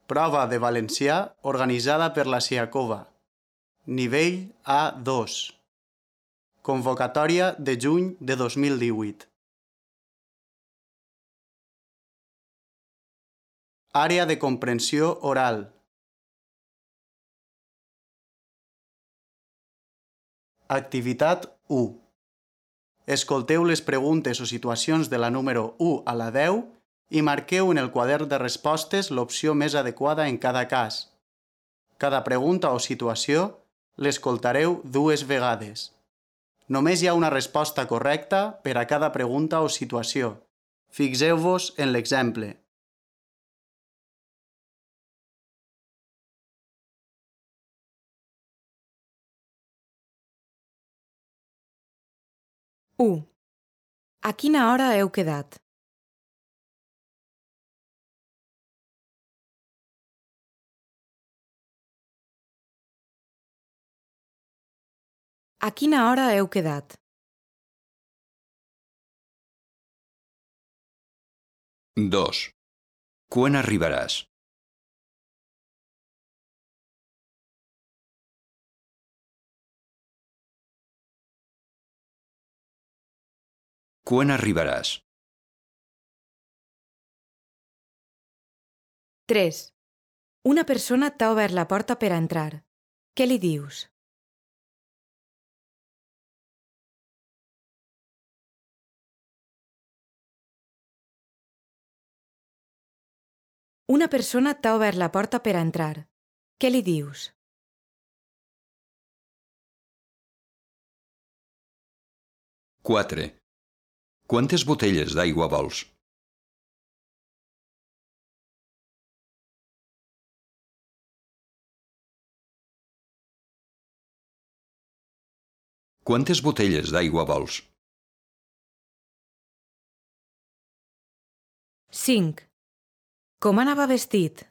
Prova de valencià organitzada per la Siacova. Nivell A2. Convocatòria de juny de 2018. Àrea de comprensió oral. Activitat 1. Escolteu les preguntes o situacions de la número 1 a la 10 i marqueu en el quadern de respostes l'opció més adequada en cada cas. Cada pregunta o situació l'escoltareu 2 vegades. Només hi ha una resposta correcta per a cada pregunta o situació. Fixeu-vos en l'exemple. A quina hora heu quedat? A quina hora heu quedat? 2. Quan arribaràs? Quan arribaràs? 3. Una persona t'ha obert la porta per a entrar. Què li dius? Una persona t'ha obert la porta per a entrar. Què li dius? 4. Quantes botelles d'aigua vols? Quantes botelles d'aigua vols? 5. Com anava vestit?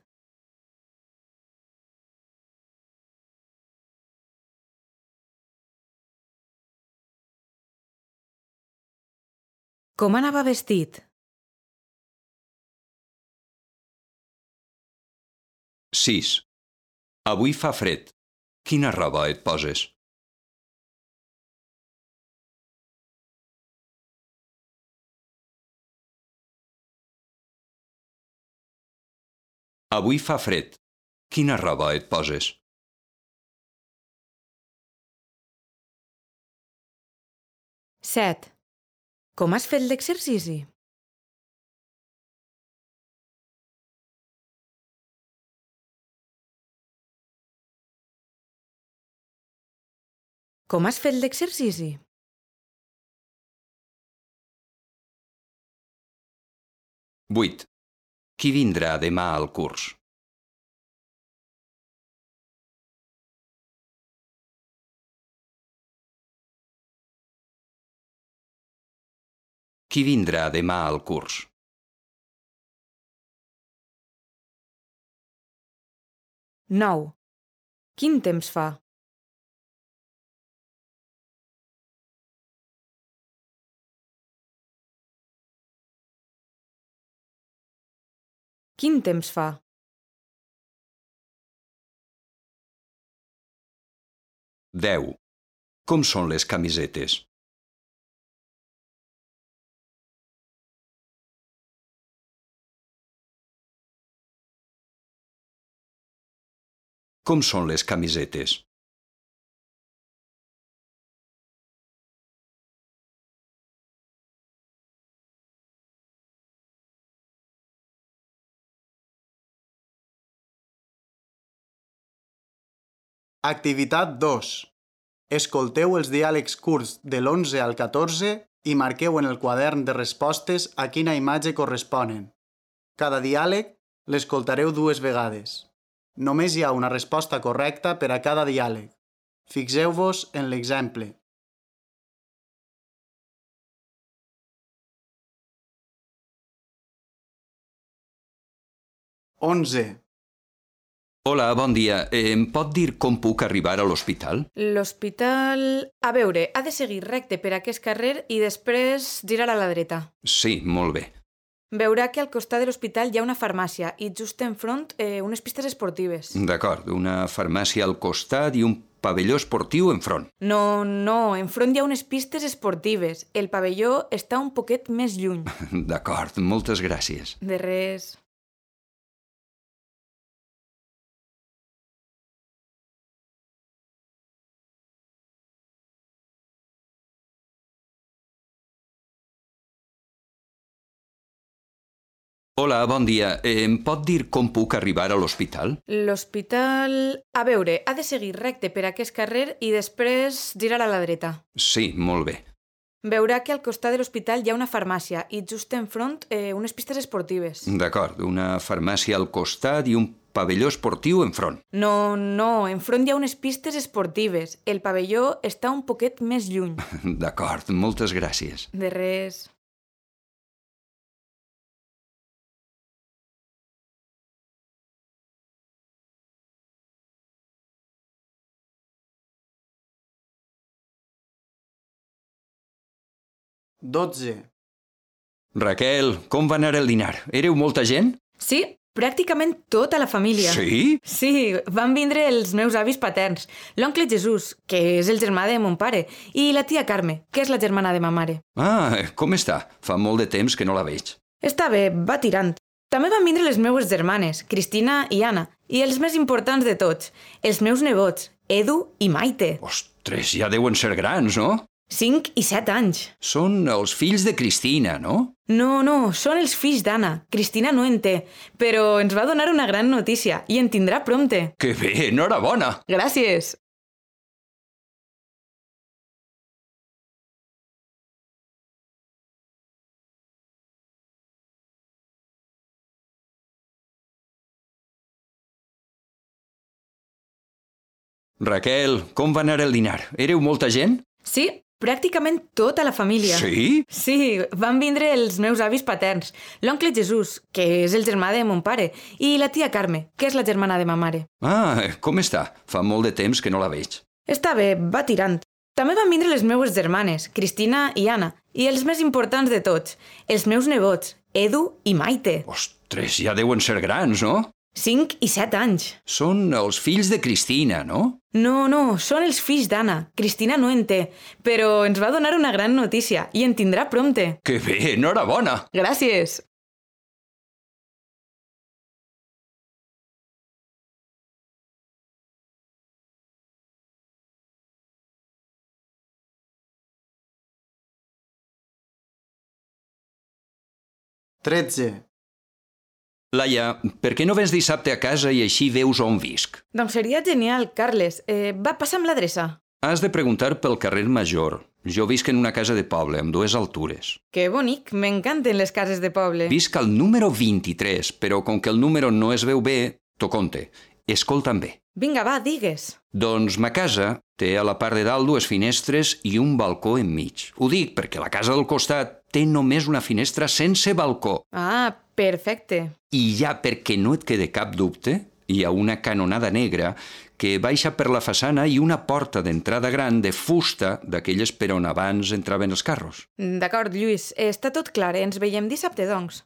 Com anava vestit? 6. Avui fa fred. Quina roba et poses? Avui fa fred. Quina roba et poses? 7. Com has fet l'exercici? Com has fet l'exercici? 8. Qui vindrà demà al curs? Qui vindrà demà al curs? 9. Quin temps fa? Quin temps fa? 10. Com són les camisetes? Com són les camisetes? 'Activitat 2. Escolteu els diàlegs curts de l'11 al 14 i marqueu en el quadern de respostes a quina imatge corresponen. Cada diàleg l'escoltareu 2 vegades. Només hi ha una resposta correcta per a cada diàleg. Fixeu-vos en l'exemple. Onze. Hola, bon dia. Em pot dir com puc arribar a l'hospital? L'hospital... A veure, ha de seguir recte per aquest carrer i després girar a la dreta. Sí, molt bé. Veurà que al costat de l'hospital hi ha una farmàcia i just enfront unes pistes esportives. D'acord, una farmàcia al costat i un pavelló esportiu enfront. No, enfront hi ha unes pistes esportives. El pavelló està un poquet més lluny. D'acord, moltes gràcies. De res. Hola, bon dia. Em pot dir com puc arribar a l'hospital? L'hospital... A veure, ha de seguir recte per aquest carrer i després girar a la dreta. Sí, molt bé. Veurà que al costat de l'hospital hi ha una farmàcia i just enfront unes pistes esportives. D'acord, una farmàcia al costat i un pavelló esportiu enfront. No, enfront hi ha unes pistes esportives. El pavelló està un poquet més lluny. D'acord, moltes gràcies. De res. Dotze. Raquel, com va anar el dinar? Éreu molta gent? Sí, pràcticament tota la família. Sí? Sí, van vindre els meus avis paterns, l'oncle Jesús, que és el germà de mon pare, i la tia Carme, que és la germana de ma mare. Ah, com està? Fa molt de temps que no la veig. Està bé, va tirant. També van vindre les meues germanes, Cristina i Anna, i els més importants de tots, els meus nebots, Edu i Maite. Ostres, ja deuen ser grans, no? 5 i 7 anys. Són els fills de Cristina, no? No, són els fills d'Anna. Cristina no en té, però ens va donar una gran notícia i en tindrà prompte. Que bé, enhorabona! Gràcies. Raquel, com va anar el dinar? Éreu molta gent? Sí, pràcticament tota la família. Sí? Sí, van vindre els meus avis paterns, l'oncle Jesús, que és el germà de mon pare, i la tia Carme, que és la germana de ma mare. Ah, com està? Fa molt de temps que no la veig. Està bé, va tirant. També van vindre les meues germanes, Cristina i Anna, i els més importants de tots, els meus nebots, Edu i Maite. Ostres, ja deuen ser grans, no? 5 i 7 anys. Són els fills de Cristina, no? No, són els fills d'Anna. Cristina no en té, però ens va donar una gran notícia i en tindrà prompte. Que bé, enhorabona! Gràcies. Tretze. Laia, per què no vens dissabte a casa i així veus on visc? Doncs seria genial, Carles. Va, passa'm l'adreça. Has de preguntar pel carrer Major. Jo visc en una casa de poble, amb 2 altures. Que bonic, m'encanten les cases de poble. Visc al número 23, però com que el número no es veu bé, t'ho conte. Escolta'm bé. Vinga, va, digues. Doncs ma casa té a la part de dalt 2 finestres i un balcó enmig. Ho dic perquè la casa del costat té només una finestra sense balcó. Ah, perfecte. I ja perquè no et quede cap dubte, hi ha una canonada negra que baixa per la façana i una porta d'entrada gran de fusta d'aquelles per on abans entraven els carros. D'acord, Lluís, està tot clar. Ens veiem dissabte, doncs.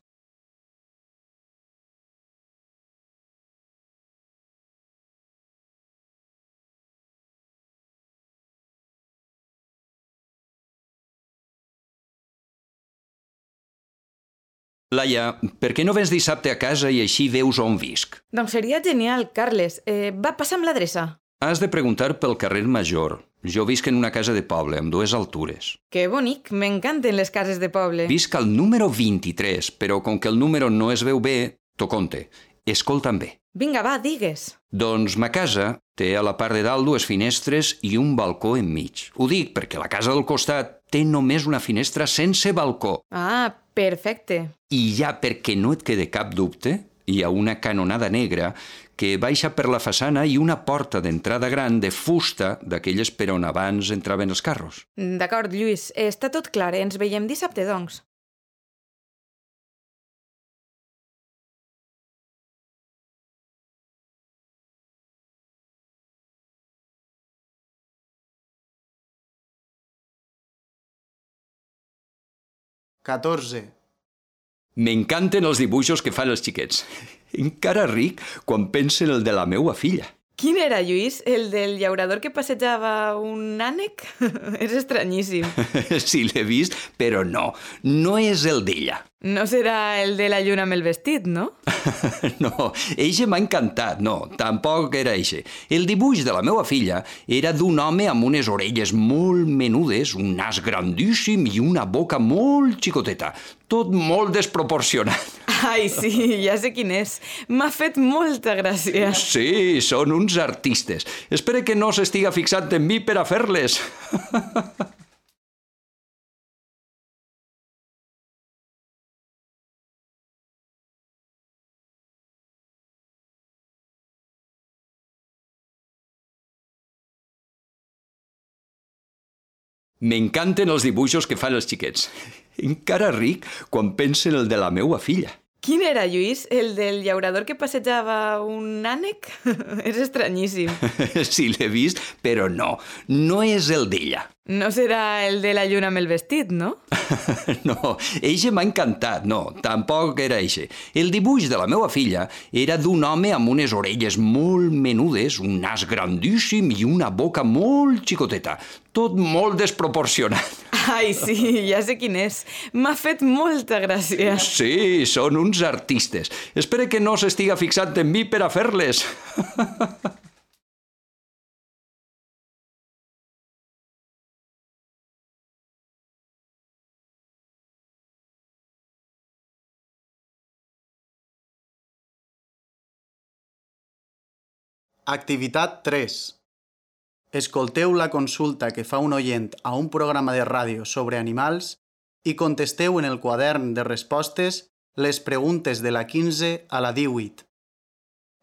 Laia, per què no vens dissabte a casa i així veus on visc? Doncs seria genial, Carles. Va, passa'm l'adreça. Has de preguntar pel carrer Major. Jo visc en una casa de poble, amb 2 altures. Que bonic, m'encanten les cases de poble. Visc al número 23, però com que el número no es veu bé, t'ho conte. Escolta'm bé. Vinga, va, digues. Doncs ma casa té a la part de dalt 2 finestres i un balcó enmig. Ho dic perquè la casa del costat té només una finestra sense balcó. Ah, perfecte. I ja perquè no et quede cap dubte, hi ha una canonada negra que baixa per la façana i una porta d'entrada gran de fusta d'aquelles per on abans entraven els carros. D'acord, Lluís, està tot clar. Ens veiem dissabte, doncs. Catorze. M'encanten els dibuixos que fan els xiquets. Encara ric quan penso en el de la meva filla. Quin era, Lluís? El del llaurador que passejava un ànec? És estranyíssim. Sí, l'he vist, però no és el d'ella. No serà el de la lluna amb el vestit, no? No, eixe m'ha encantat. No, tampoc era eixe. El dibuix de la meva filla era d'un home amb unes orelles molt menudes, un nas grandíssim i una boca molt xicoteta. Tot molt desproporcionat. Ai, sí, ja sé quin és. M'ha fet molta gràcia. Sí, són uns artistes. Espero que no s'estiga fixant en mi per a fer-les. M'encanten els dibuixos que fan els xiquets. Encara ric quan penso en el de la meva filla. Quin era, Lluís? El del llaurador que passejava un ànec? És estranyíssim. Sí, l'he vist, però no és el d'ella. No serà el de la lluna amb el vestit, no? No, eixe m'ha encantat. No, tampoc era eixe. El dibuix de la meva filla era d'un home amb unes orelles molt menudes, un nas grandíssim i una boca molt xicoteta. Tot molt desproporcionat. Ai, sí, ja sé quin és. M'ha fet molta gràcia. Sí, són uns artistes. Espero que no s'estiga fixant en mi per a fer-les. Activitat 3. Escolteu la consulta que fa un oient a un programa de ràdio sobre animals i contesteu en el quadern de respostes les preguntes de la 15 a la 18.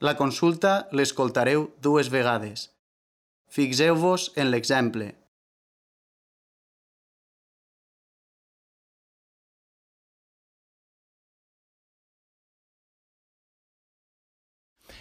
La consulta l'escoltareu 2 vegades. Fixeu-vos en l'exemple.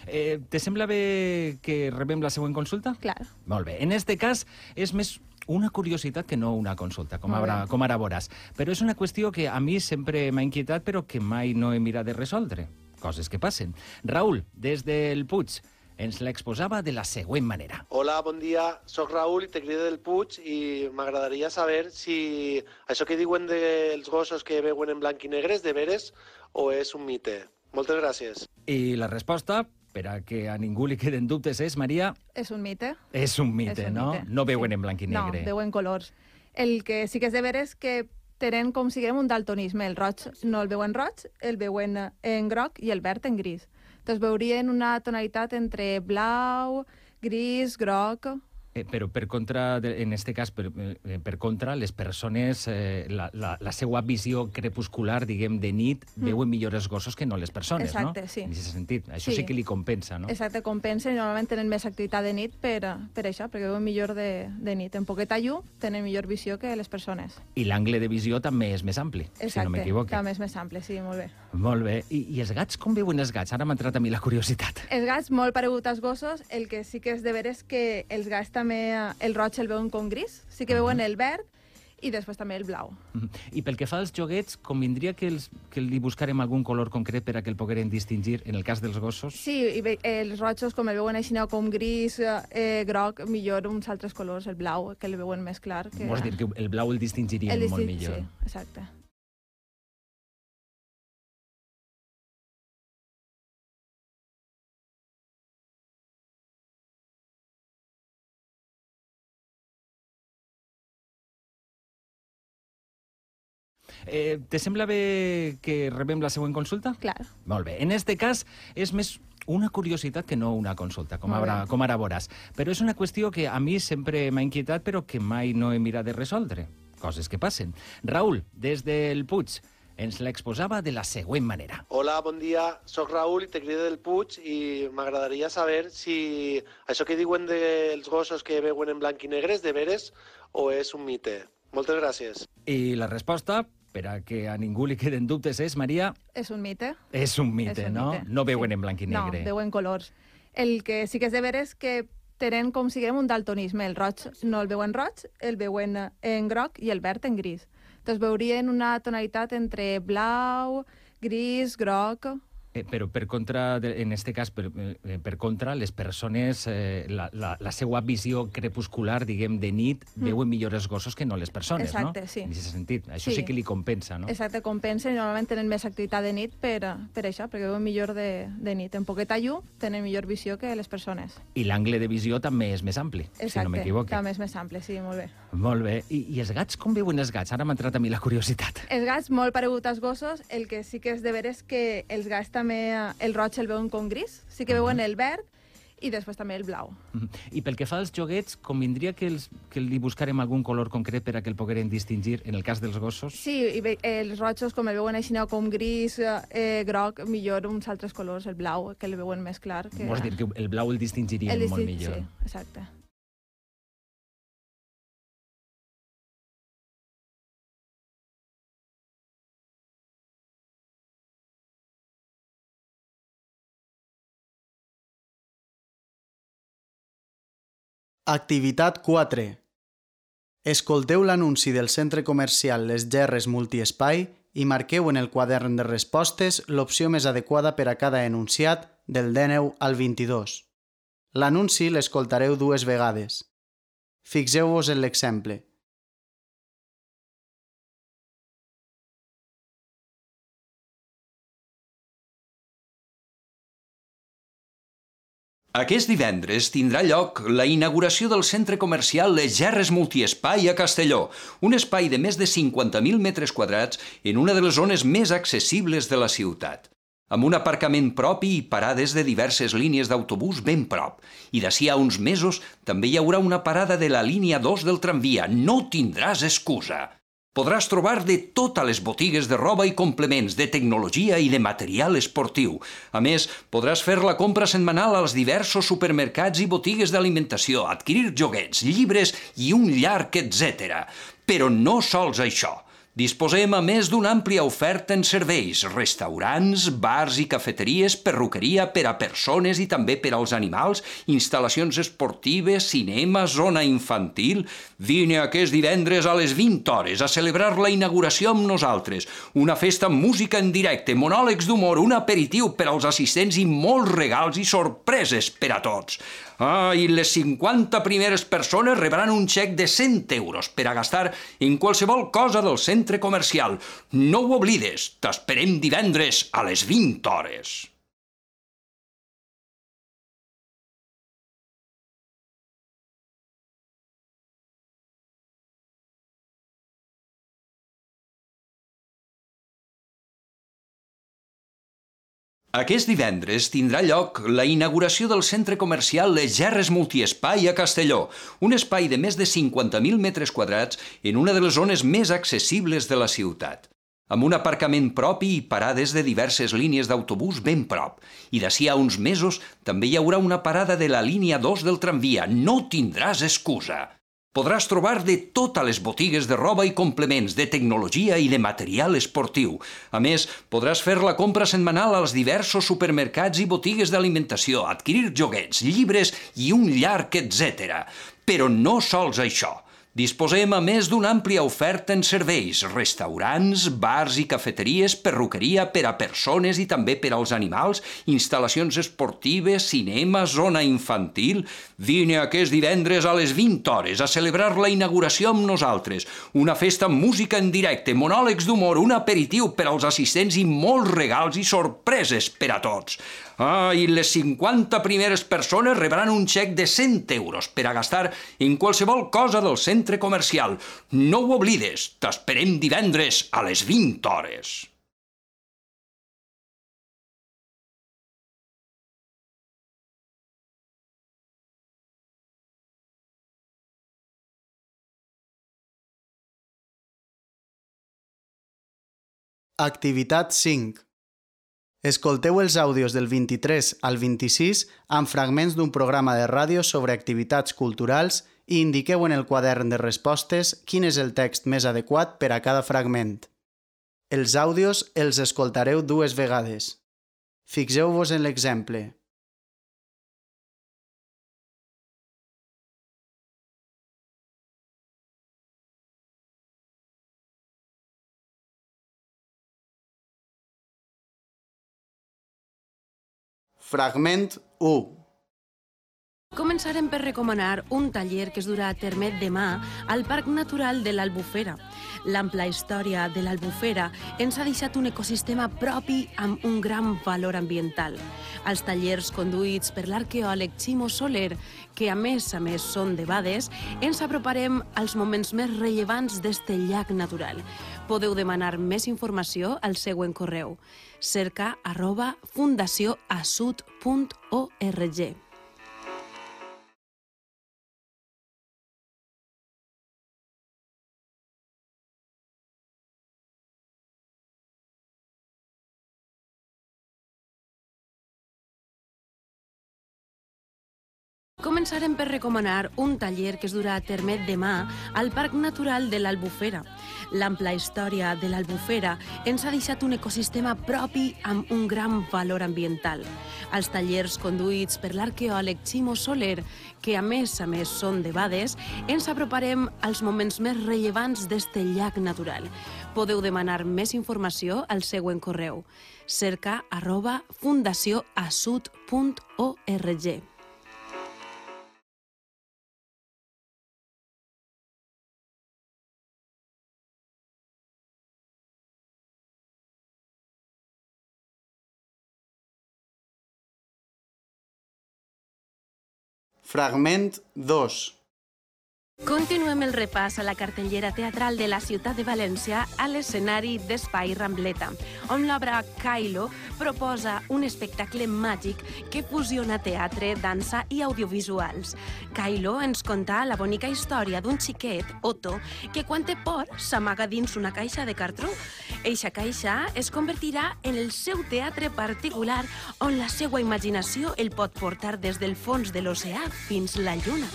Te sembla bé que rebem la següent consulta? Clar. Molt bé. En este cas és més una curiositat que no una consulta, com ara veuràs. Però és una qüestió que a mi sempre m'ha inquietat però que mai no he mirat de resoldre. Coses que passen. Raül, des del Puig, ens l'exposava de la següent manera. Hola, bon dia. Soc Raül i te crido del Puig i m'agradaria saber si això que diuen dels gossos que veuen en blanc i negre és de veres o és un mite. Moltes gràcies. I la resposta, per a que a ningú li queden dubtes, és, Maria... És un mite. És un mite, no? No veuen en blanc i negre. No, veuen colors. El que sí que és de veres és que tenen com siguem un daltonisme. El roig no el veuen roig, el veuen en groc i el verd en gris. Entonces veurien una tonalitat entre blau, gris, groc... Però per contra, en este cas, per contra, les persones, la seva visió crepuscular, diguem, de nit, veuen millor els gossos que no les persones, no? Exacte, sí. En aquest sentit. Això sí que li compensa, no? Exacte, compensa i normalment tenen més activitat de nit per això, perquè veuen millor de nit. En poqueta llum tenen millor visió que les persones. I l'angle de visió també és més ampli, si no m'equivoco. També és més ampli, sí, molt bé. Molt bé. I els gats, com veuen els gats? Ara m'ha entrat a mi la curiositat. Els gats, molt paregut als gossos, el que sí que és de veres és que els gats també el roig el veuen com gris, sí que veuen el verd i després també el blau. I pel que fa als joguets, convindria que li buscarem algun color concret per a que el pogueren distingir en el cas dels gossos? Sí, i els rojos, com el veuen així, com gris, groc, millor uns altres colors, el blau, que el veuen més clar. Vols dir que el blau el distingirien molt millor? Sí, exacte. Te sembla bé que rebem la següent consulta? Clar. Molt bé. En este cas és més una curiositat que no una consulta, com ara veuràs. Però és una qüestió que a mi sempre m'ha inquietat però que mai no he mirat de resoldre. Coses que passen. Raül, des del Puig, ens l'exposava de la següent manera. Hola, bon dia. Soc Raül i te crido del Puig i m'agradaria saber si això que diuen dels gossos que veuen en blanc i negre és de veres o és un mite. Moltes gràcies. I la resposta, per a que a ningú li queden dubtes, és, Maria... És un mite. És un mite, no? No veuen en blanc i negre. No, veuen colors. El que sí que és de veres és que tenen com siguem un daltonisme. El roig no el veuen roig, el veuen en groc i el verd en gris. Entonces veurien una tonalitat entre blau, Gris, groc... Però per contra, en este cas, per contra, les persones, la seva visió crepuscular, diguem, de nit, veuen millor els gossos que no les persones, no? Exacte, sí. En aquest sentit. Això sí que li compensa, no? Exacte, compensa i normalment tenen més activitat de nit per això, perquè veuen millor de nit. En poqueta llum tenen millor visió que les persones. I l'angle de visió també és més ampli, si no m'equivoco. També és més ampli, sí, molt bé. Molt bé. I els gats, com veuen els gats? Ara m'ha entrat a mi la curiositat. Els gats, molt paregut als gossos, el que sí que és de veres és que els gats també, el roig el veuen com gris, sí que veuen el verd i després també el blau. I pel que fa als joguets, convindria que li buscarem algun color concret per a que el pogueren distingir en el cas dels gossos? Sí, i els rojos, com el veuen així, com gris, groc, millor uns altres colors, el blau, que el veuen més clar. Vols dir que el blau el distingirien molt millor? Sí, exacte. Activitat 4. Escolteu l'anunci del centre comercial Les Gerres Multiespai i marqueu en el quadern de respostes l'opció més adequada per a cada enunciat del 19 al 22. L'anunci l'escoltareu 2 vegades. Fixeu-vos en l'exemple. Aquest divendres tindrà lloc la inauguració del centre comercial Les Gerres Multiespai a Castelló, un espai de més de 50.000 metres quadrats en una de les zones més accessibles de la ciutat, amb un aparcament propi i parades de diverses línies d'autobús ben prop. I d'ací a uns mesos també hi haurà una parada de la línia 2 del tramvia. No tindràs excusa! Podràs trobar de totes les botigues de roba i complements, de tecnologia i de material esportiu. A més, podràs fer la compra setmanal als diversos supermercats i botigues d'alimentació, adquirir joguets, llibres i un llarg etcètera. Però no sols això. Disposem a més d'una àmplia oferta en serveis, restaurants, bars i cafeteries, perruqueria per a persones i també per als animals, instal·lacions esportives, cinema, zona infantil. Vine aquest divendres a les 20 hores a celebrar la inauguració amb nosaltres. Una festa amb música en directe, monòlegs d'humor, un aperitiu per als assistents i molts regals i sorpreses per a tots. I les 50 primeres persones rebran un xec de 100 euros per a gastar en qualsevol cosa del centre comercial. No ho oblides, t'esperem divendres a les 20 hores. Aquest divendres tindrà lloc la inauguració del centre comercial Les Gerres Multiespai a Castelló, un espai de més de 50.000 metres quadrats en una de les zones més accessibles de la ciutat, amb un aparcament propi i parades de diverses línies d'autobús ben prop. I d'ací a uns mesos també hi haurà una parada de la línia 2 del tramvia. No tindràs excusa! Podràs trobar de totes les botigues de roba i complements, de tecnologia i de material esportiu. A més, podràs fer la compra setmanal als diversos supermercats i botigues d'alimentació, adquirir joguets, llibres i un llarg etcètera. Però no sols això. Disposem a més d'una àmplia oferta en serveis, restaurants, bars i cafeteries, perruqueria per a persones i també per als animals, instal·lacions esportives, cinema, zona infantil. Vine aquest divendres a les 20 hores a celebrar la inauguració amb nosaltres. Una festa amb música en directe, monòlegs d'humor, un aperitiu per als assistents i molts regals i sorpreses per a tots. I les 50 primeres persones rebran un xec de 100 euros per a gastar en qualsevol cosa del centre comercial. No ho oblides, t'esperem divendres a les 20 hores. Activitat 5. Escolteu els àudios del 23 al 26 amb fragments d'un programa de ràdio sobre activitats culturals i indiqueu en el quadern de respostes quin és el text més adequat per a cada fragment. Els àudios els escoltareu 2 vegades. Fixeu-vos en l'exemple. Fragment 1. Començarem per recomanar un taller que es durà a terme demà al Parc Natural de l'Albufera. L'ampla història de l'Albufera ens ha deixat un ecosistema propi amb un gran valor ambiental. Els tallers conduïts per l'arqueòleg Ximo Soler, que a més són debades, ens aproparem als moments més rellevants d'este llac natural. Podeu demanar més informació al següent correu: cerca@fundacioasud.org. Començarem per recomanar un taller que es durà a terme demà al Parc Natural de l'Albufera. L'ampla història de l'Albufera ens ha deixat un ecosistema propi amb un gran valor ambiental. Els tallers conduïts per l'arqueòleg Ximo Soler, que a més són debades, ens aproparem als moments més rellevants d'este llac natural. Podeu demanar més informació al següent correu: cerca@fundacioasud.org. Fragment 2. Continuem el repàs a la cartellera teatral de la ciutat de València a l'escenari d'Espai Rambleta, on l'obra Kylo proposa un espectacle màgic que fusiona teatre, dansa i audiovisuals. Kylo ens conta la bonica història d'un xiquet, Otto, que quan té por s'amaga dins una caixa de cartró. Eixa caixa es convertirà en el seu teatre particular, on la seva imaginació el pot portar des del fons de l'oceà fins la lluna.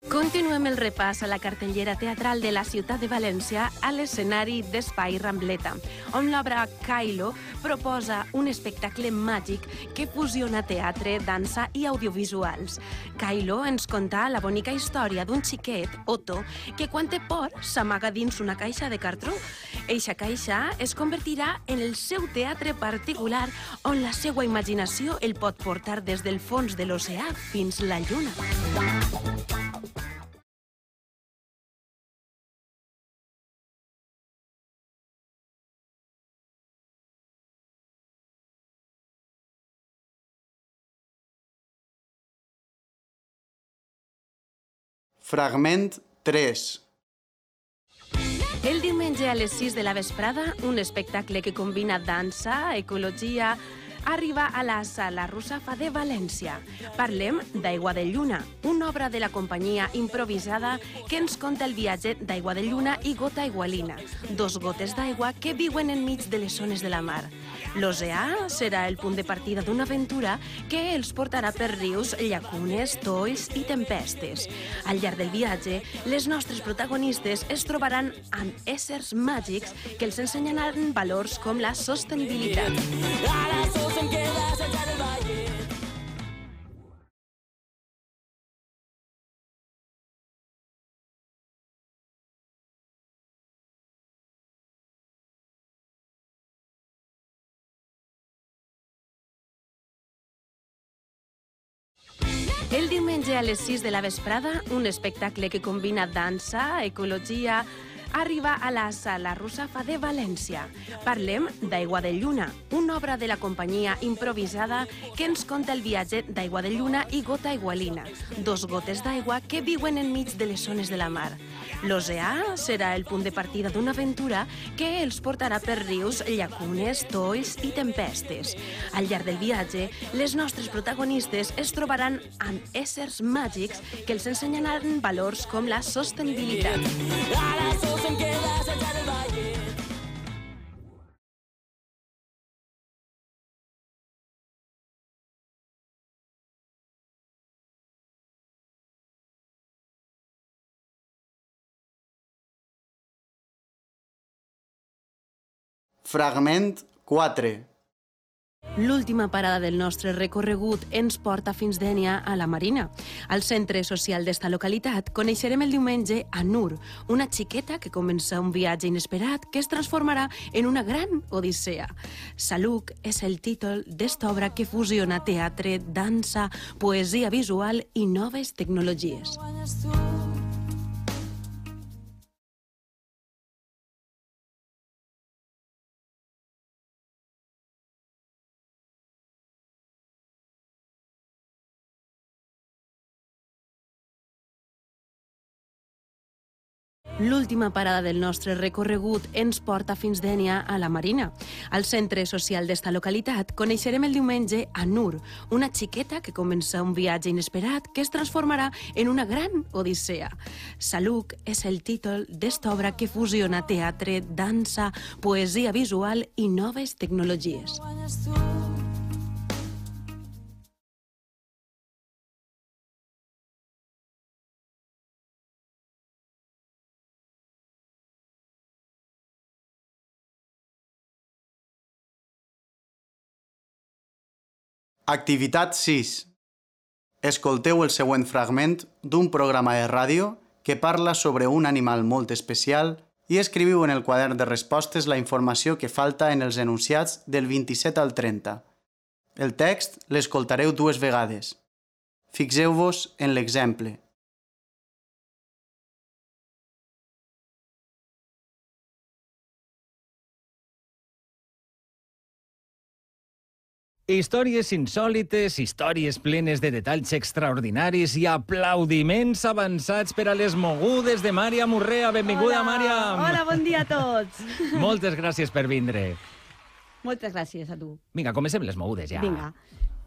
Continuem el repàs a la cartellera teatral de la ciutat de València a l'escenari d'Espai Rambleta, on l'obra Kylo proposa un espectacle màgic que fusiona teatre, dansa i audiovisuals. Kylo ens conta la bonica història d'un xiquet, Otto, que quan té por s'amaga dins una caixa de cartró. Eixa caixa es convertirà en el seu teatre particular, on la seva imaginació el pot portar des del fons de l'oceà fins la lluna. Fragment 3. El diumenge a les 6 de la vesprada, un espectacle que combina dansa, ecologia, arriba a la Sala Russafa de València. Parlem d'Aigua de Lluna, una obra de la companyia improvisada que ens conta el viatge d'Aigua de Lluna i Gota Igualina, dos gotes d'aigua que viuen enmig de les ones de la mar. L'oceà serà el punt de partida d'una aventura que els portarà per rius, llacunes, tolls i tempestes. Al llarg del viatge, les nostres protagonistes es trobaran amb éssers màgics que els ensenyaran valors com la sostenibilitat. El diumenge a les 6 de la vesprada, un espectacle que combina dansa, ecologia, arriba a la Sala Russafa de València. Parlem d'Aigua de Lluna, una obra de la companyia improvisada que ens conta el viatge d'Aigua de Lluna i Gota Igualina, dos gotes d'aigua que viuen enmig de les ones de la mar. L'oceà serà el punt de partida d'una aventura que els portarà per rius, llacunes, tolls i tempestes. Al llarg del viatge, les nostres protagonistes es trobaran amb éssers màgics que els ensenyaran valors com la sostenibilitat. Fragment 4. L'última parada del nostre recorregut ens porta fins Dénia, a la Marina. Al centre social d'esta localitat coneixerem el diumenge a Nur, una xiqueta que comença un viatge inesperat que es transformarà en una gran odissea. Saluc és el títol d'esta obra que fusiona teatre, dansa, poesia visual i noves tecnologies. L'última parada del nostre recorregut ens porta fins Dénia, a la Marina. Al centre social d'esta localitat coneixerem el diumenge a Nur, una xiqueta que comença un viatge inesperat que es transformarà en una gran odissea. Saluc és el títol d'esta obra que fusiona teatre, dansa, poesia visual i noves tecnologies. Activitat 6. Escolteu el següent fragment d'un programa de ràdio que parla sobre un animal molt especial i escriviu en el quadern de respostes la informació que falta en els enunciats del 27 al 30. El text l'escoltareu 2 vegades. Fixeu-vos en l'exemple. Històries insòlites, històries plenes de detalls extraordinaris i aplaudiments avançats per a les mogudes de Màriam Urrea. Benvinguda, Màriam! Hola, bon dia a tots! Moltes gràcies per vindre. Moltes gràcies a tu. Vinga, comencem les mogudes ja. Vinga.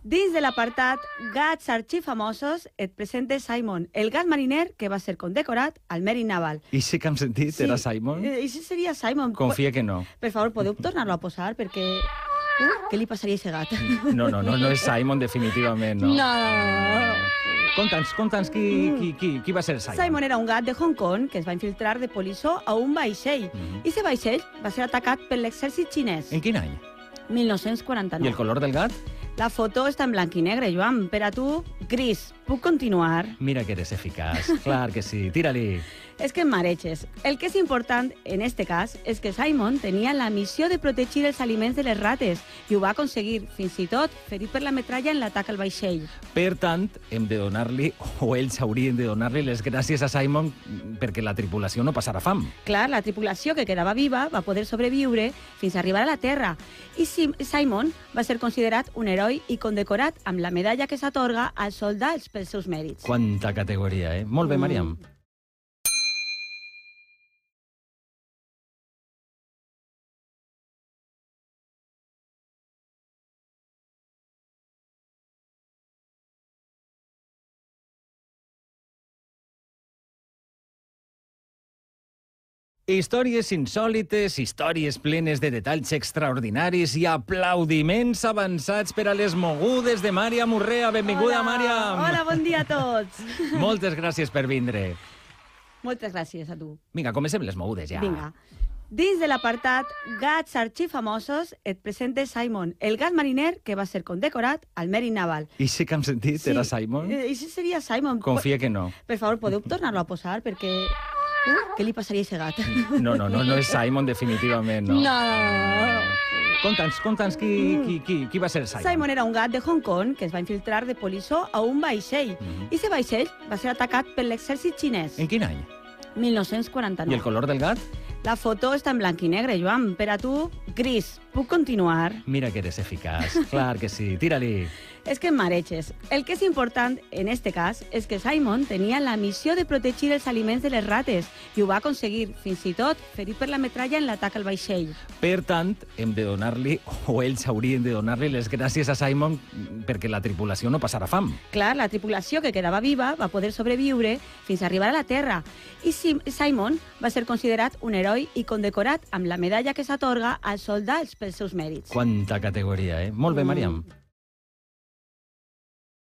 Dins de l'apartat Gats arxifamosos et presenta Simon, el gat mariner que va ser condecorat al Mèrit Naval. I sí que hem sentit, era Simon? I sí seria Simon. Confia que no. Per favor, podeu tornar-lo a posar perquè... què li passaria a aquest gat? No és Simon definitivament, no? No. Conta'ns qui va ser Simon. Simon era un gat de Hong Kong que es va infiltrar de polissó a un vaixell. I aquest vaixell va ser atacat per l'exèrcit xinès. En quin any? 1949. I el color del gat? La foto està en blanc i negre, Joan. Per a tu, gris. Puc continuar? Mira que eres eficaç. Clar que sí. Tira-li. És que em mareges. El que és important en este cas és que Simon tenia la missió de protegir els aliments de les rates i ho va aconseguir, fins i tot ferit per la metralla en l'atac al vaixell. Per tant, hem de donar-li, o ells haurien de donar-li les gràcies a Simon perquè la tripulació no passarà fam. Clar, la tripulació que quedava viva va poder sobreviure fins a arribar a la Terra i Simon va ser considerat un heroi i condecorat amb la medalla que s'atorga als soldats pels seus mèrits. Quanta categoria, eh? Molt bé, Màriam. Històries insòlites, històries plenes de detalls extraordinaris i aplaudiments avançats per a les mogudes de Màriam Urrea. Benvinguda, Màriam! Hola, bon dia a tots! Moltes gràcies per vindre. Moltes gràcies a tu. Vinga, comencem les mogudes ja. Vinga. Dins de l'apartat Gats arxifamosos et presenta Simon, el gat mariner que va ser condecorat al Mèrit Naval. I sí que hem sentit, era Simon? I sí seria Simon. Confia que no. Per favor, podeu tornar-lo a posar perquè... què li passaria a aquest gat? No és Simon definitivament, no? No. Conta'ns qui va ser Simon. Simon era un gat de Hong Kong que es va infiltrar de polissó a un vaixell. I aquest vaixell va ser atacat per l'exèrcit xinès. En quin any? 1949. I el color del gat? La foto està en blanc i negre, Joan. Per a tu, gris. Puc continuar? Mira que eres eficaç. Clar que sí. Tira-li. És que em mareges. El que és important en este cas és que Simon tenia la missió de protegir els aliments de les rates i ho va aconseguir, fins i tot ferit per la metralla en l'atac al vaixell. Per tant, hem de donar-li, o ells haurien de donar-li les gràcies a Simon perquè la tripulació no passarà fam. Clar, la tripulació que quedava viva va poder sobreviure fins a arribar a la Terra i Simon va ser considerat un heroi i condecorat amb la medalla que s'atorga als soldats pels seus mèrits. Quanta categoria, eh? Molt bé, Màriam.